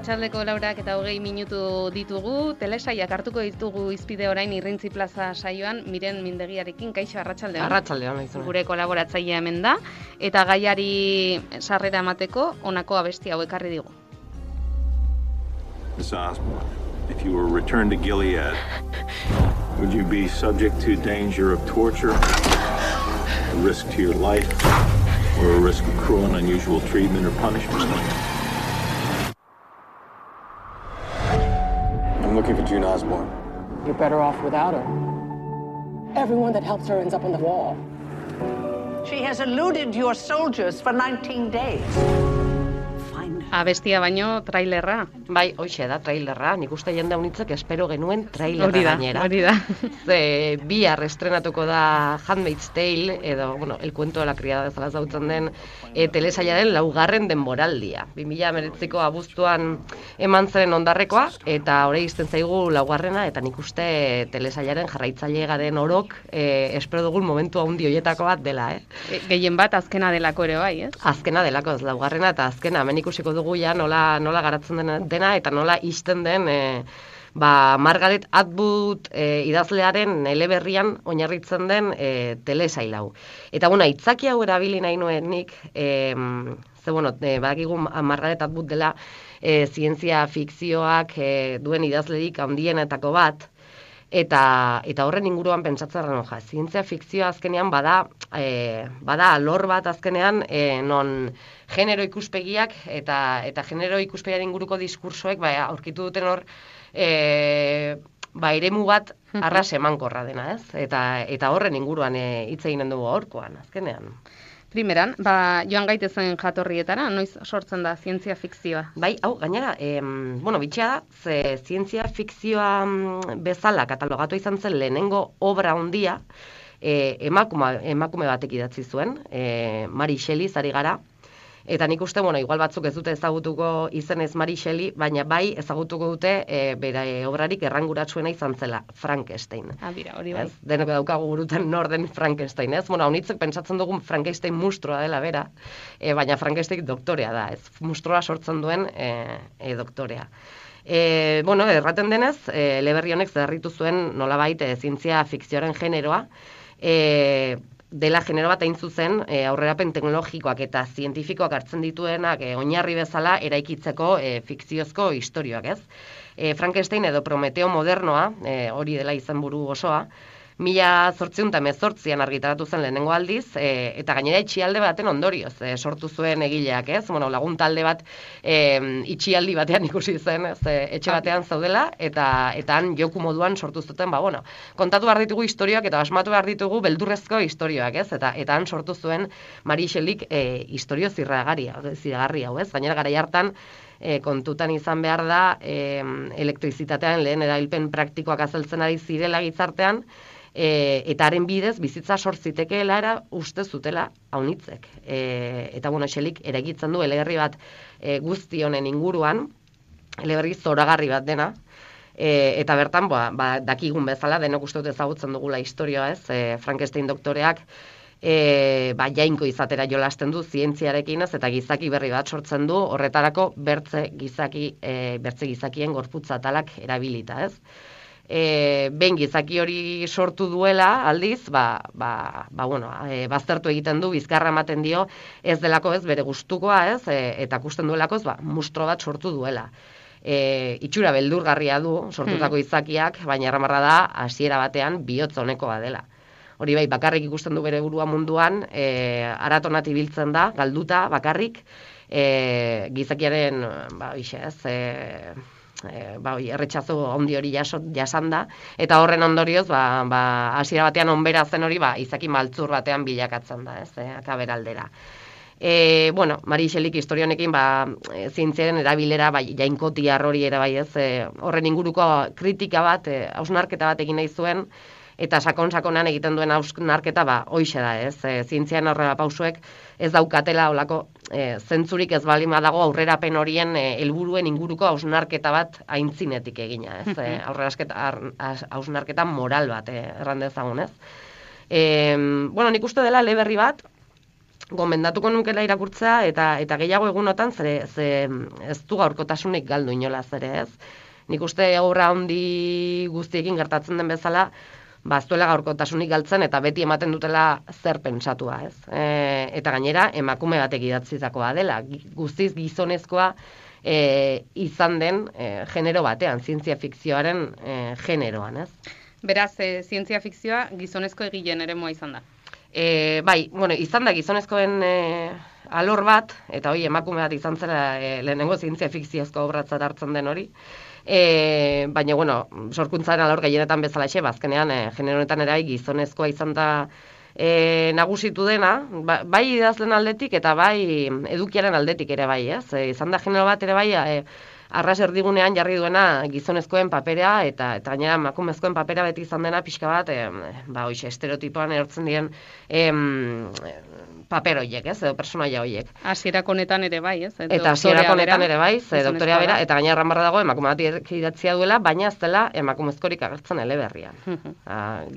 Arratsaldeko 4:20 ditugu, telesaiak hartuko ditugu izpide orain Irrintzi Plaza saioan, Miren Mindegiarekin. Kaixo, arratsaldean. Arratsaldean, naizuna. Gure kolaboratzailea hemen da, eta gaiari sarrera emateko honako abesti hau ekarri digu. Miss Osborne, if you were returned to Gilead, would you be subject to danger of torture, a risk to your life, or a risk of cruel and unusual treatment or punishment? I'm looking for June Osborne. You're better off without her. Everyone that helps her ends up on the wall. She has eluded your soldiers for 19 days. Abestia baino trailerra. Bai, hoxe da, trailerra. Nik uste jende unitzek espero genuen trailerra gainera. Hori da. Bihar estrenatuko da Handmaid's Tale, edo, bueno, El cuento de la criada bezala zautzen den, telesailaren 4. denboraldia. 2019ko abuztuan eman zen ondarrekoa, eta orain izten zaigu 4. eta nik uste telesailaren jarraitzaile garen orok espero dugun momentu handi hoietako bat dela, Gehien bat azkena delako ere bai, ez? Azkena delako, ez 4. eta azkena, hemen ikusiko dugu ja nola garatzen dena eta nola isten den Margaret Atwood idazlearen eleberrian oinarritzen den telesail hau. Eta bueno, aitzaki hau erabili nahi nuen nik, badakigu Margaret Atwood dela zientzia fikzioak duen idazlerik handienetako bat, eta horren inguruan pentsatzen zientzia fikzioa azkenean bada alor bat azkenean non genero ikuspegiak eta genero ikuspegiaren inguruko diskursoek aurkitu duten hor eremu bat arras emankorra dena, ez? Eta horren inguruan hitz egin dugu gaurkoan azkenean. Primeran, joan gaitezen jatorrietara, noiz sortzen da zientzia fikzioa? Bai, hau, gainera, bitxea da, ze zientzia fikzioa bezala katalogatu izan zen lehenengo obra handia, emakume batek idatzi zuen, Mary Shelley zari gara, eta nik uste, igual batzuk ez dute ezagutuko izenez Mary Shelley, baina bai ezagutuko dute bere obrarik erranguratsuena izan zela, Frankenstein. Hori bai. Denoko daukagu burutan nor den Frankenstein, ez? Haunitzek pentsatzen dugun Frankenstein mustroa dela bera, baina Frankenstein doktorea da, ez? Mustroa sortzen duen doktorea. Erraten denez, eleberri honek zedarritu zuen nolabait zientzia fikzioaren generoa, dela genero bat hain zuzen aurrerapen teknologikoak eta zientifikoak hartzen dituenak oinarri bezala eraikitzeko fikziozko istorioak, ez? Frankenstein edo Prometeo modernoa, hori dela izenburu osoa, 1818an argitaratu zen lehenengo aldiz, eta gainera itxialde baten ondorioz sortu zuen egileak, ez? Lagun talde bat itxialdi batean ikusi zen, etxe batean zaudela, eta han joku moduan sortu zuten, kontatu behar ditugu istorioak eta asmatu behar ditugu beldurrezko istorioak, ez? Eta han sortu zuen Mary Shelleyk istorio ziragarri hau, ez? Gainera garai hartan, kontutan izan behar da elektrizitatean lehen erabilpen praktikoak azaltzen ari zirela gizartean, eta haren bidez bizitza sortzitekeela era uste zutela haunitzek. Eta Shelleyk eraikitzen du eleberri bat guzti honen inguruan, eleberri zoragarri bat dena, eta bertan dakigun bezala denok uste dut ezagutzen dugula historioa, ez? Frankenstein doktoreak jainko izatera jolasten du zientziarekin, ez? Eta gizaki berri bat sortzen du, horretarako bertze gizakien gorputza atalak erabilita, ez? Behin gizaki hori sortu duela, aldiz, baztertu egiten du, bizkarra ematen dio, ez delako ez bere gustukoa, ez? Eta ikusten duelako, mustro bat sortu duela. Itxura beldurgarria du sortutako izakiak, baina erramarra da, hasiera batean bihotz honekoa dela. Hori bai, bakarrik ikusten du bere burua munduan, aratonat ibiltzen da, galduta, bakarrik, gizakiaren, erretxazo handi hori jasan da, eta horren ondorioz, hasiera batean onbera zen hori, izaki maltzur batean bilakatzen da, ez, akaberaldera. Mary Shelleyk historionekin zientziaren erabilera, jainkotiar hori ere bai, ez, horren inguruko kritika bat, hausnarketa bat egin nahi zuen, eta sakonan egiten duen hausnarketa hoixe da, ez, zientzian aurrera pausuek ez daukatela olako zentzurik ez balima dago aurrerapen horien helburuen inguruko hausnarketa bat aintzinetik egina, ez, hausnarketa moral bat, erran dezagun, ez. Nik uste dela eleberri bat, gomendatuko nukela irakurtzea, eta gehiago egunotan, ze ez du gaurkotasunik galdu inolaz ere, ez? Nik uste aurra handi guztiekin gertatzen den bezala, ez duela gaurkotasunik galtzen, eta beti ematen dutela zer pentsatua, ez? Eta gainera, emakume batek idatzitakoa dela, guztiz gizonezkoa izan den genero batean, zientzia fikzioaren generoan, ez? Beraz, zientzia fikzioa gizonezko egileen eremua izan da. Bai, izan da gizonezkoen alor bat, eta hori emakume bat izan zela lehenengo zientzia fikziozko obratzat hartzen den hori. Baina, sorkuntzaren alor gehienetan bezalaxe, bazkenean genero honetan ere gizonezkoa izan da nagusitu dena, bai idazlen aldetik eta bai edukiaren aldetik ere bai, ez? Izan da genero bat ere bai, arras erdigunean jarri duena gizonezkoen papera eta gainera emakumezkoen papera beti izan dena pixka bat, estereotipoan erortzen diren paper horiek, ez? Edo personaia horiek. Hasierako honetan ere bai, ez? Eta hasierako honetan ere bai, doktorea bera, eta gainera erran barra dago emakume bat idatzia duela, baina ez dela emakumezkorik agertzen eleberrian.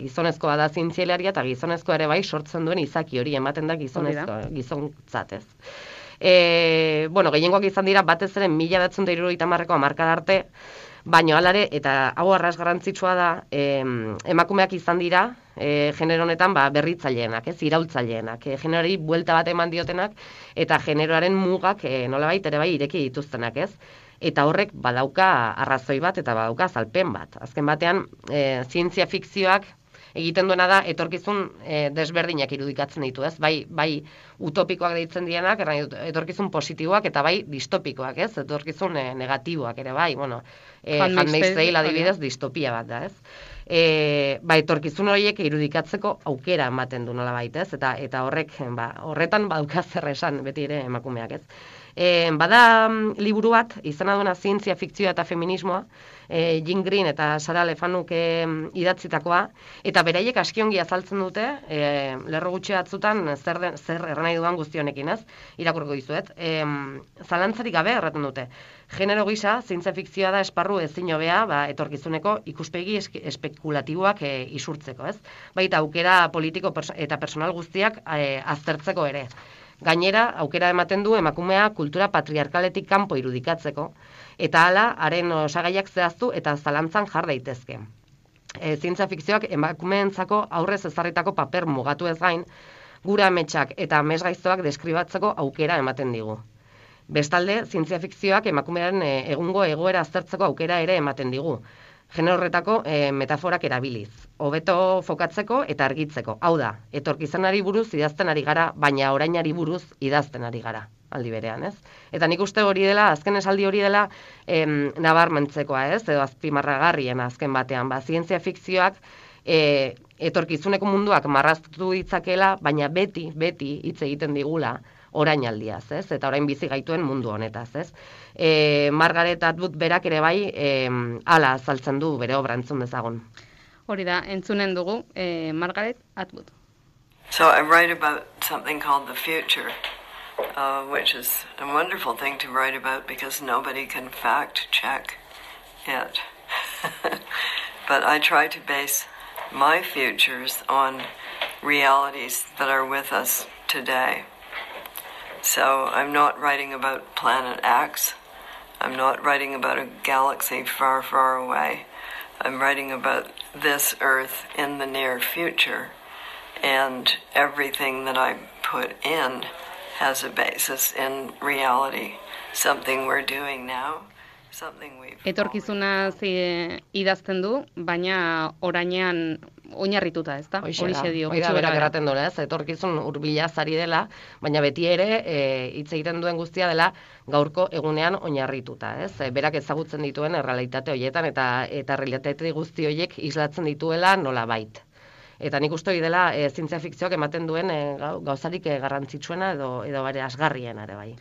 Gizonezkoa da zientzialaria eta gizonezkoa ere bai sortzen duen izaki hori ematen da gizontzat, ez? Gehiengoak izan dira batez ere 1970ko hamarkada arte, baina alare, eta hau arras garrantzitsua da, emakumeak izan dira, genero honetan berritzaileenak, iraultzaileenak, generoari buelta bat eman diotenak, eta generoaren mugak nolabait ere bai ireki dituztenak, ez? Eta horrek badauka arrazoi bat eta badauka azalpen bat. Azken batean, zientzia fikzioak egiten duena da etorkizun desberdinak irudikatzen ditu, ez? Bai utopikoak deitzen dienak, etorkizun positiboak eta bai distopikoak, ez? Etorkizun negatiboak ere bai, Handmaid's Tale adibidez distopia bat da, ez? Etorkizun horiek irudikatzeko aukera ematen du nolabait, ez? Eta horretan badauka zer esan beti ere emakumeak, ez? Bada liburu bat, izena duena zientzia fikzioa eta feminismoa, Jean Green eta Sara Lefanuk idatzitakoa, eta beraiek askiongi azaltzen dute, lerro gutxi batzutan zer erran nahi duan guzti honekin, ez? Irakurriko dizuet. Zalantzarik gabe erraten dute. Genero gisa, zientzia fikzioa da esparru ezin hobea, etorkizuneko ikuspegi espekulatiboak isurtzeko, ez? Baita aukera politiko eta personal guztiak aztertzeko ere. Gainera, aukera ematen du emakumea kultura patriarkaletik kanpo irudikatzeko, eta hala, haren osagaiak zehaztu eta zalantzan jar daitezke. Zientzia fikzioak emakumeentzako aurrez ezarritako paper mugatu ez gain, gure ametsak eta amesgaiztoak deskribatzeko aukera ematen digu. Bestalde, zientzia fikzioak emakumearen egungo egoera aztertzeko aukera ere ematen digu. Genero horretako metaforak erabiliz, hobeto fokatzeko eta argitzeko. Hau da, etorkizunari buruz idazten ari gara, baina orainari buruz idazten ari gara, aldi berean, ez? Eta nik uste hori dela, azken esaldi hori dela nabarmentzekoa, ez? Edo azpimarragarrien azken batean, zientzia fikzioak etorkizuneko munduak marraztu ditzakela, baina beti hitz egiten digula orainaldiaz, ez? Eta orain bizi gaituen mundu honetaz, ez? Margaret Atwood berak ere bai hala azaltzen du bere obra entzun dezagun. Hori da, entzunen dugu Margaret Atwood. So I write about something called the future, which is a wonderful thing to write about because nobody can fact check it. But I try to base my futures on realities that are with us today. So I'm not writing about Planet X. I'm not writing about a galaxy far, far away. I'm writing about this Earth in the near future. And everything that I put in has a basis in reality. Something we're doing now. Etorkizunaz idazten du, baina orainean oinarrituta, ezta? Horixe dio. Hori da berak erraten duela, ez? Etorkizun hurbilaz ari dela, baina beti ere hitz egiten duen guztia dela gaurko egunean oinarrituta, ez? Berak ezagutzen dituen errealitate horietan eta errealitate guzti horiek islatzen dituela nolabait. Eta nik uste hori dela zientzia fikzioak ematen duen gauzarik garrantzitsuena edo bare asgarriena ere bai.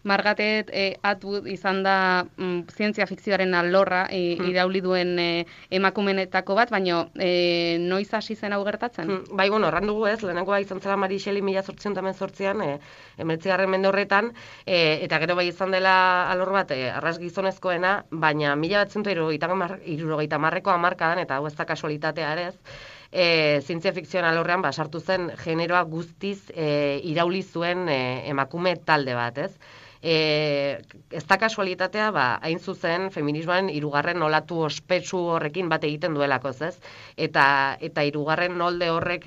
Margaret Atwood izan da zientzia fikzioaren alorra irauli duen emakumenetako bat, baina noiz hasi zen hau gertatzen? Bai, erran dugu ez, lehenengoa izan zela Mary Shelley 1818an, 19. mende horretan, eta gero bai izan dela alor bat arras gizonezkoena, baina 1970ko hamarkadan, eta hau ez da kasualitatea ere ez, zientzia fikzioan alorrean sartu zen generoa guztiz irauli zuen emakume talde bat, ez? Ez da kasualitatea, hain zuzen, feminismoaren hirugarren olatu ospetsu horrekin bat egiten duelako, ez? Eta hirugarren olde horrek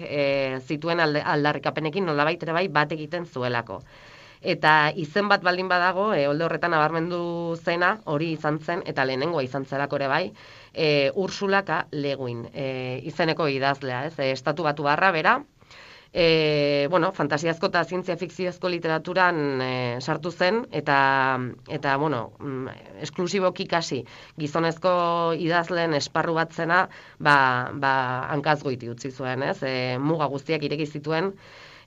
zituen aldarrikapenekin nolabait ere bai bat egiten zuelako. Eta izen bat baldin badago, olde horretan nabarmendu zena, hori izan zen, eta lehenengoa izan zelako ere bai, Ursula K. Le Guin, izeneko idazlea, ez? Estatu Batuarra bera, fantasiazko eta zientzia fikziozko literaturan sartu zen, eta esklusiboki kasi gizonezko idazleen esparru bat zena, hankazgoiti utzi zuen, ez? Muga guztiak ireki zituen,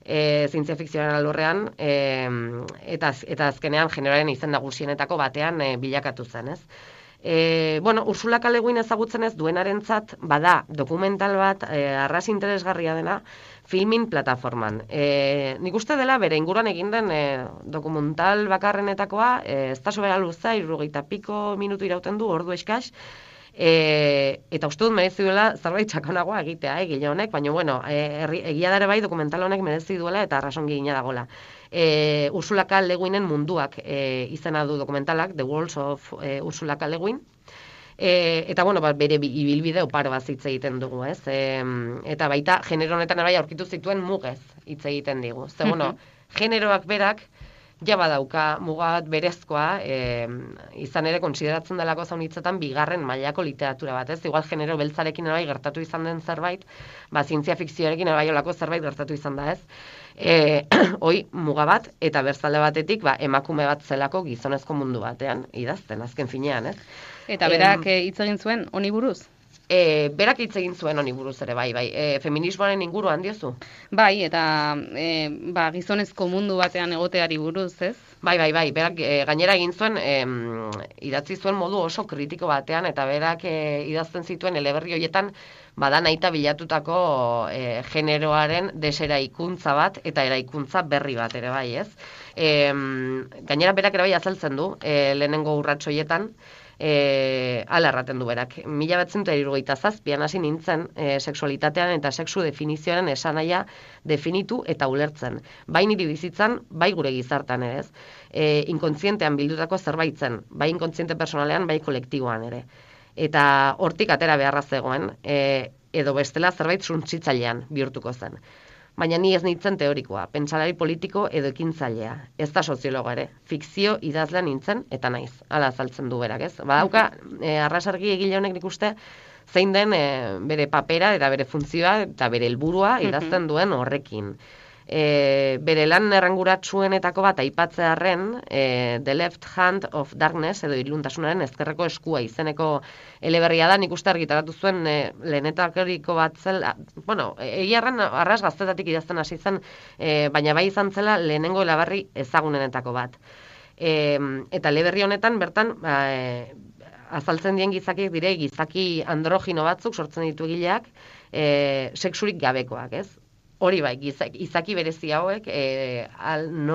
zientzia fikzioaren alorrean, eta azkenean generoaren izen nagusienetako batean bilakatu zen, ez? Ursula K. Le Guin ezagutzen ez duenarentzat bada dokumental bat arras interesgarria dena Filmin plataforman. Nik uste dela bere inguruan egin den dokumental bakarrenetakoa, ez da sobera luza, 70 piko minutu irauten du, ordu eskas, eta uste dut merezi duela zerbait sakonagoa egitea, gile honek, baina egia dare bai dokumental honek merezi duela eta arrasongi gina dagoela. Ursula K. Le Guinen munduak izena du dokumentalak, The Worlds of Ursula K. Le Guin, eta bere ibilbide oparo bat hitz egiten dugu, ez? Eta baita genero honetan bai aurkitu zituen mugez hitz egiten digu. Ze generoak berak ja badauka mugat berezkoa, izan ere konsideratzen delako zaunitzetan bigarren mailako literatura bat, ez? Igual genero beltzarekin bai gertatu izan den zerbait, zientzia fikzioarekin bai olako zerbait gertatu izan da, ez? Hoi muga bat, eta berzalde batetik emakume bat zelako gizonezko mundu batean, idazten, azken finean, ez? Eta berak hitz egin zuen honi buruz? Berak hitz egin zuen honi buruz ere, bai. Feminismoaren inguruan diozu? Bai, eta gizonezko mundu batean egoteari buruz, ez? Bai, berak gainera egin zuen, idatzi zuen modu oso kritiko batean, eta berak idazten zituen eleberri horietan, nahita bilatutako generoaren deseraikuntza bat, eta eraikuntza berri bat ere bai, ez? Gainera berak ere bai azaltzen du, lehenengo urrats horietan, ala erraten du berak. 1977an hasi nintzen sexualitatean eta sexu definizioaren esanahia definitu eta ulertzen. Bai niri bizitzan, bai gure gizartan ere, ez? Inkontzientean bildutako zerbait zen, bai inkontziente personalean, bai kolektiboan ere. Eta hortik atera beharra zegoen, edo bestela zerbait suntsitzailean bihurtuko zen. Baina ni ez nintzen teorikoa, pentsalari politiko edo ekintzailea. Ez da soziologo ere, fikzio idazlea nintzen eta naiz. Hala azaltzen du berak, ez? Badauka, arrasargi egile honek nik uste, zein den bere papera eta bere funtzioa eta bere helburua idazten duen horrekin. Bere lan erranguratsuenetako bat aipatzearren, The Left Hand of Darkness edo iluntasunaren ezkerreko eskua izeneko eleberria da, nik uste argitaratu zuen lehenetakoriko bat zela, egiarren arras gaztetatik idazten hasi zen, baina bai izan zela lehenengo eleberri ezagunenetako bat. Eta eleberri honetan bertan azaltzen dien gizakiek dire, gizaki androgino batzuk sortzen ditu egileak, sexurik gabekoak, ez? Hori bai, izaki berezi hauek,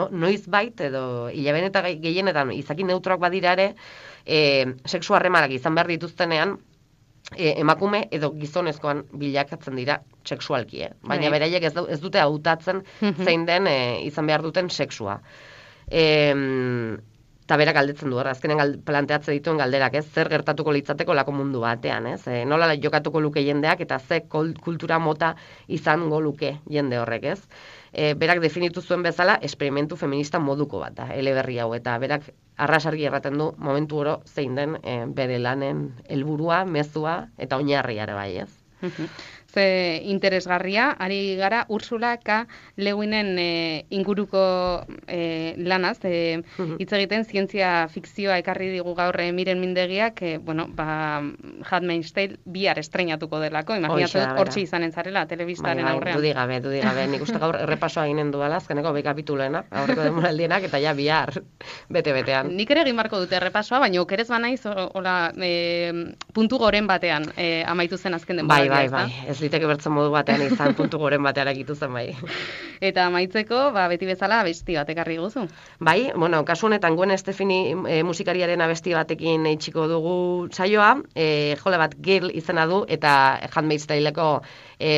noiz bait, edo hilaben eta gehienetan izaki neutroak badira ere, sexu harremanak izan behar dituztenean, emakume edo gizonezkoan bilakatzen dira sexualki, baina beraiek ez dute hautatzen zein den izan behar duten sexua. Eta berak galdetzen du, azkenen planteatzen dituen galderak, ez? Zer gertatuko litzateko lako mundu batean, ez? Nola jokatuko luke jendeak eta ze kultura mota izango luke jende horrek, ez? Berak definitu zuen bezala esperimentu feminista moduko bat da, eleberri hau, eta berak arrasargi erraten du momentu oro zein den bere lanen helburua, mezua eta oinarria ere bai, ez? Ze interesgarria, ari gara Ursula K. Le Guinen inguruko lanaz, hitz egiten zientzia fikzioa ekarri digu gaur Miren Mindegiak, Handmaid's Tale bihar estreinatuko delako, imaginatzen dut hortxe izanen zarela telebistaren aurrean. Dudik gabe, nik uste gaur errepasoa ginen duela, azkeneko 2 kapituloena, aurreko demoraldienak, eta ja bihar bete-betean. Nik ere egin barko dute errepasoa, baina okerez banaiz, puntu goren batean amaitu zen azken denbora. Bai, Ez liteke bertzen modu batean izan, puntu goren batean akitu zen bai. Eta amaitzeko, beti bezala abesti bat ekarri guzu. Bai, bueno, kasu honetan Gwen Stefani musikariaren abesti batekin itxiko dugu saioa, jole bat Girl izena du, eta Handmaid's Tale-eko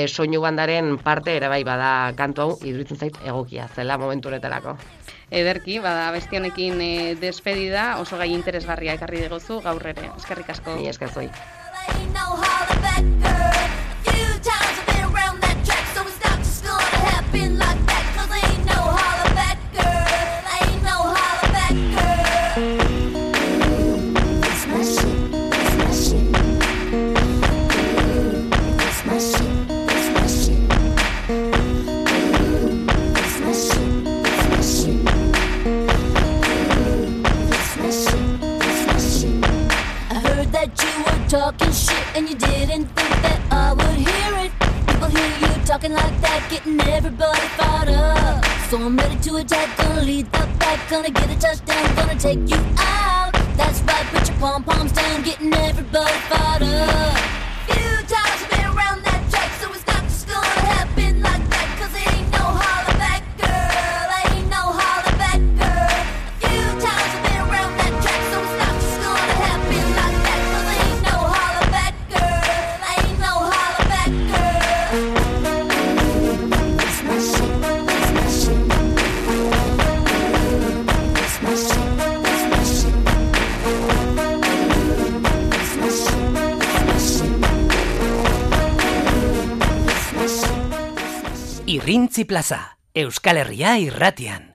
soinu bandaren parte ere bai bada kantu hau, iduritzen zait egokia zela momentu honetarako. Ederki, abesti honekin despedida, oso gai interesgarria ekarri diguzu gaur ere. Eskerrik asko. Ni esker zoi. Talking shit and you didn't think that I would hear it. People hear you talking like that, getting everybody fired up. So I'm ready to attack, gonna lead the pack, gonna get a touchdown, gonna take you out. That's right, put your pom-poms down, getting everybody fired up. Few times I've been around that track, so it's not just gonna happen like that, cause it ain't no holler back, girl, ain't no holler back, girl. Few times I've been around that track, so it's not just gonna happen like that. Irrintzi Plaza, Euskal Herria irratian.